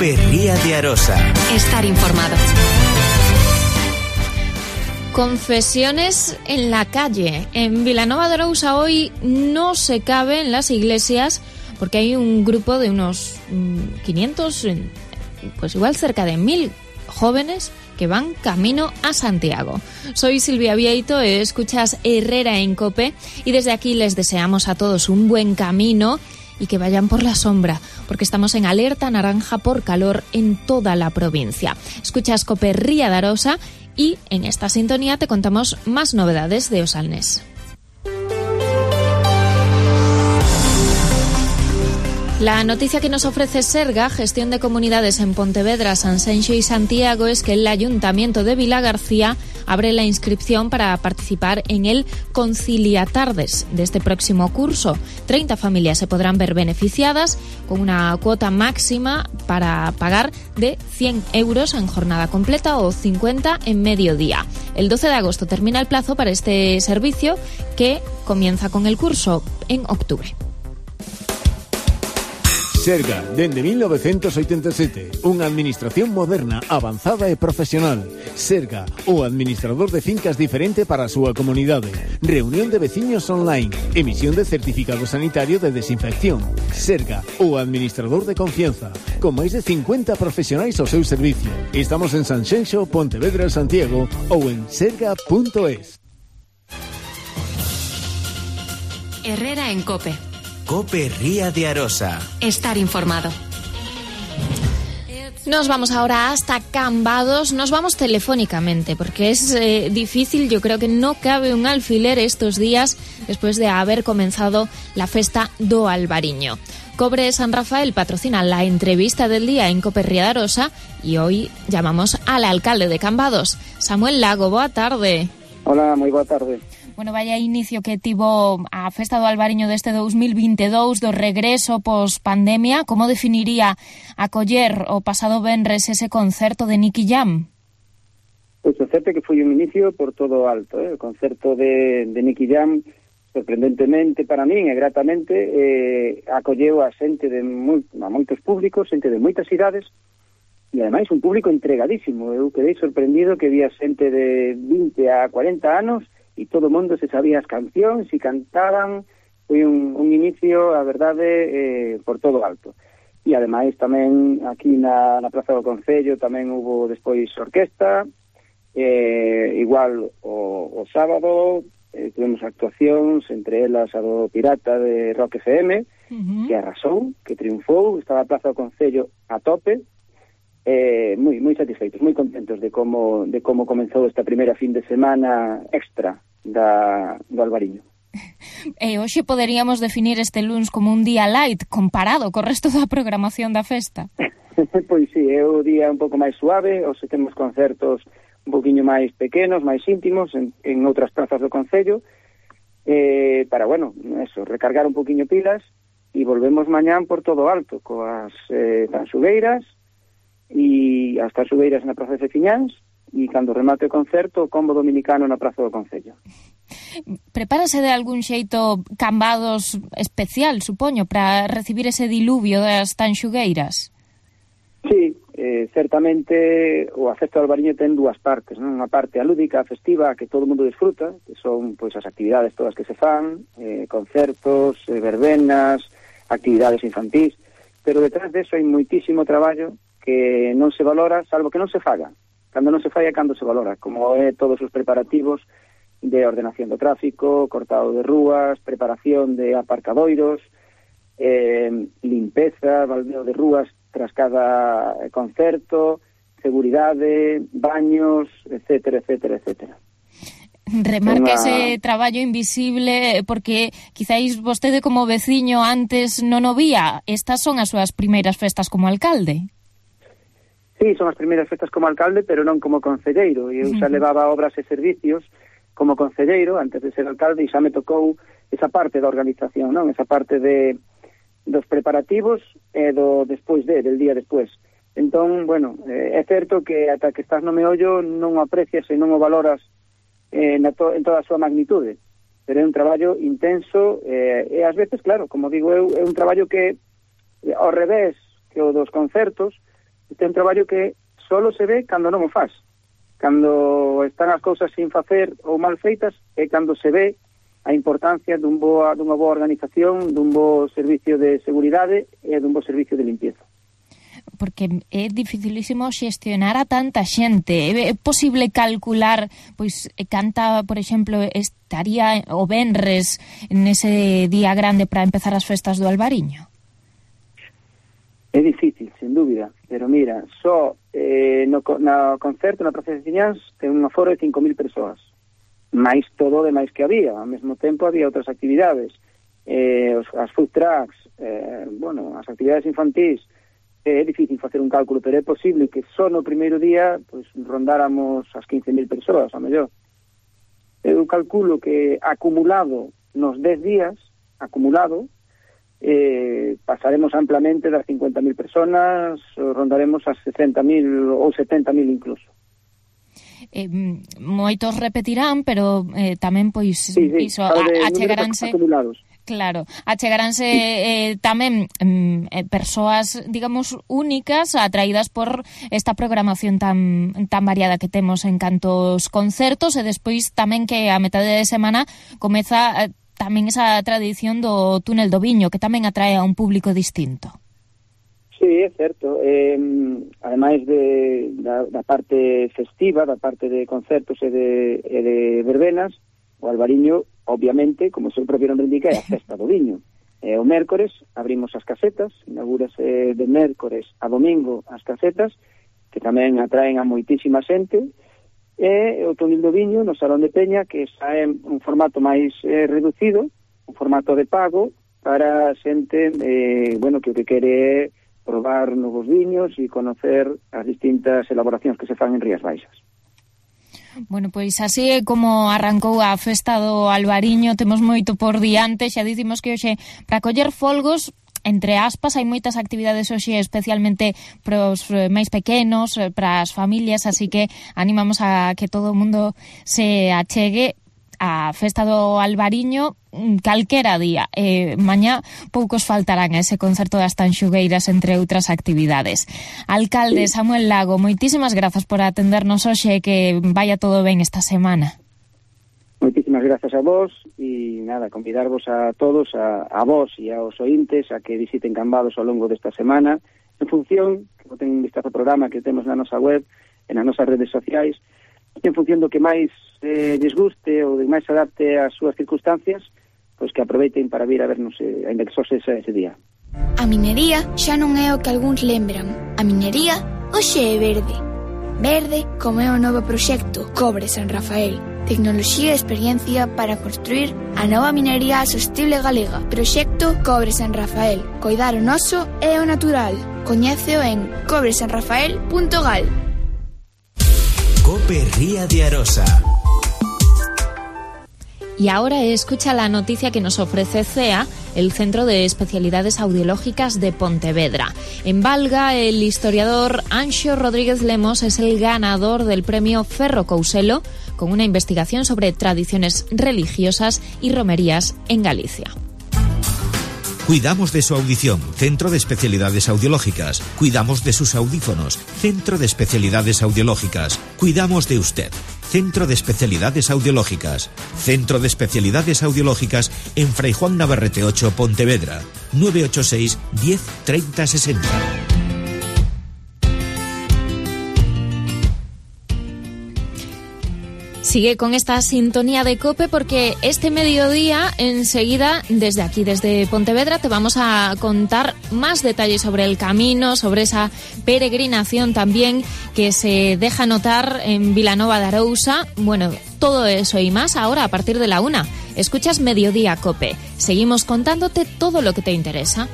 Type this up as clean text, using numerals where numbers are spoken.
Cope Ría de Arosa. Estar informado. Confesiones en la calle. En Vilanova de Arousa hoy no se cabe en las iglesias porque hay un grupo de unos 500, pues igual cerca de 1000 jóvenes que van camino a Santiago. Soy Silvia Vieito, escuchas Herrera en Cope y desde aquí les deseamos a todos un buen camino y que vayan por la sombra, porque estamos en alerta naranja por calor en toda la provincia. Escuchas Cope Ría de Arosa y en esta sintonía te contamos más novedades de Osalnés. La noticia que nos ofrece Serga, Gestión de Comunidades en Pontevedra, Sanxenxo y Santiago, es que el Ayuntamiento de Vilagarcía abre la inscripción para participar en el Conciliatardes de este próximo curso. 30 familias se podrán ver beneficiadas con una cuota máxima para pagar de 100 euros en jornada completa o 50 en mediodía. El 12 de agosto termina el plazo para este servicio que comienza con el curso en octubre. Serga, dende 1987, unha administración moderna, avanzada e profesional. Serga, o administrador de fincas diferente para a súa comunidade. Reunión de veciños online, emisión de certificado sanitario de desinfección. Serga, o administrador de confianza, con máis de 50 profesionais ao seu servicio. Estamos en Sanxenxo, Pontevedra, Santiago ou en serga.es. Herrera en Cope. Cope Ría de Arosa. Estar informado. Nos vamos ahora hasta Cambados, nos vamos telefónicamente porque es difícil, yo creo que no cabe un alfiler estos días después de haber comenzado la festa do Albariño. Cobre San Rafael patrocina la entrevista del día en Cope Ría de Arosa y hoy llamamos al alcalde de Cambados, Samuel Lago. Boa tarde. Hola, moi boa tarde. Bueno, vaya inicio que tivo a festa do Albariño deste 2022, do regreso pos-pandemia. Como definiría acoller o pasado venres ese concerto de Nicky Jam? Pois o certo que foi un inicio por todo alto. O concerto de Nicky Jam, sorprendentemente para min e gratamente, acolleu a xente de a moitos públicos, xente de moitas idades, e ademais un público entregadísimo. Eu quedei sorprendido que había xente de 20 a 40 anos e todo o mundo se sabía as cancións e cantaban. Foi un inicio, a verdade, por todo alto. E ademais tamén aquí na Praza do Concello tamén hubo despois orquesta, igual o sábado tuvemos actuacións, entre elas a do Pirata de Rock FM, que arrasou, que triunfou, estaba a Praza do Concello a tope. Moi satisfeitos, moi contentos de como comenzou esta primeira fin de semana extra do Albariño. Hoxe poderíamos definir este luns como un día light comparado co resto da programación da festa. Pois sí, é o día un pouco máis suave, hoxe temos concertos un poquinho máis pequenos, máis íntimos en outras prazas do Concello, para, bueno, eso, recargar un poquinho pilas e volvemos mañán por todo alto, coas tanxugueiras e as tanxugueiras na Praza de Fiñáns e cando remate o concerto o combo dominicano na Praza do Concello. Prepárase de algún xeito Cambados especial, supoño, para recibir ese diluvio das tanxugueiras? Sí, certamente o a festa do Albariño ten dúas partes, non? Unha parte alúdica, festiva, que todo o mundo disfruta, que son pois as actividades todas que se fan, concertos, verbenas, actividades infantís, pero detrás de eso hai moitísimo traballo que non se valora, salvo que non se faga. Cando non se fai é cando se valora, como é todos os preparativos de ordenación do tráfico, cortado de rúas, preparación de aparcadoiros, limpeza, baldeo de rúas tras cada concerto, seguridade, baños, etcétera, etcétera, etcétera. Remarca ese traballo invisible porque quizáis vostede como veciño antes non o vía. Estas son as súas primeiras festas como alcalde. Sí, son as primeiras festas como alcalde, pero non como concelleiro. Eu xa levaba obras e servicios como concelleiro antes de ser alcalde e xa me tocou esa parte da organización, non? Esa parte dos preparativos e do despois del día despois. Entón, bueno, é certo que ata que estás no meollo non o aprecias e non o valoras en toda a súa magnitude, pero é un traballo intenso e ás veces, claro, como digo eu, é un traballo que ao revés que o dos concertos, Este é un traballo que solo se ve cando non o faz. Cando están as cousas sin facer ou mal feitas é cando se ve a importancia dunha boa organización, dun bo servicio de seguridade e dun bo servicio de limpieza. Porque é dificilísimo xestionar a tanta xente. É posible calcular pois canta, por exemplo, estaría o venres nese día grande para empezar as festas do Albariño? É difícil, sin dúbida, pero mira, só no concerto na Praza de Ciñáns ten un aforo de 5.000 persoas, máis todo o demais que había. Ao mesmo tempo había outras actividades, as food trucks, as actividades infantís. É difícil facer un cálculo, pero é posible que só no primeiro día pues, rondáramos as 15.000 persoas, a mellor. Eu calculo que acumulado nos 10 días, pasaremos amplamente das 50.000 personas, rondaremos as 60.000 ou 70.000 incluso. Moitos repetirán, pero tamén pois iso achegaranse acumulados. Claro, achegaranse tamén persoas, digamos, únicas, atraídas por esta programación tan variada que temos en cantos concertos, e despois tamén que a metade de semana comeza tamén esa tradición do túnel do Viño, que tamén atrae a un público distinto. Sí, é certo. Ademais da parte festiva, da parte de concertos e de verbenas, o Albariño, obviamente, como o seu propio nome indica, é a festa do Viño. O mércores abrimos as casetas, inaugúrase de mércores a domingo as casetas, que tamén atraen a moitísima xente, e o túnel do Viño no Salón de Peña, que xa é un formato máis reducido, un formato de pago para a xente que o que quere é probar novos viños e conocer as distintas elaboracións que se fan en Rías Baixas. Bueno, pois así é como arrancou a festa do Albariño. Temos moito por diante, xa dicimos que hoxe para coller folgos, entre aspas, hai moitas actividades hoxe, especialmente para os máis pequenos, para as familias, así que animamos a que todo o mundo se achegue a festa do Albariño calquera día. Mañá poucos faltarán a ese concerto das Tanxugueiras, entre outras actividades. Alcalde Samuel Lago, moitísimas grazas por atendernos hoxe, que vaya todo ben esta semana. Moitísimas grazas a vos e nada, convidarvos a todos, a vos e aos ointes a que visiten Cambados ao longo desta semana, en función, que boten un vistazo ao programa que temos na nosa web e nas nosas redes sociais, en función do que máis les guste ou de máis se adapte ás súas circunstancias, pois que aproveiten para vir a vernos a indexose ese día. A minería xa non é o que algúns lembran. A minería hoxe é verde. Verde como é o novo proxecto Cobre San Rafael. Tecnoloxía e experiencia para construir a nova minería sostible galega. Proxecto Cobre San Rafael. Coidar o noso é o natural. Coñéceo en cobresanrafael.gal. COPE Ría de Arosa. Y ahora escucha la noticia que nos ofrece CEA, el Centro de Especialidades Audiológicas de Pontevedra. En Valga, el historiador Anxo Rodríguez Lemos es el ganador del premio Ferro Couselo, con una investigación sobre tradiciones religiosas y romerías en Galicia. Cuidamos de su audición, Centro de Especialidades Audiológicas. Cuidamos de sus audífonos, Centro de Especialidades Audiológicas. Cuidamos de usted, Centro de Especialidades Audiológicas. Centro de Especialidades Audiológicas en Fray Juan Navarrete 8, Pontevedra. 986 10 30 60. Sigue con esta sintonía de COPE porque este mediodía, enseguida, desde aquí, desde Pontevedra, te vamos a contar más detalles sobre el camino, sobre esa peregrinación también que se deja notar en Vilanova de Arousa. Bueno, todo eso y más ahora a partir de la 1. Escuchas Mediodía COPE. Seguimos contándote todo lo que te interesa.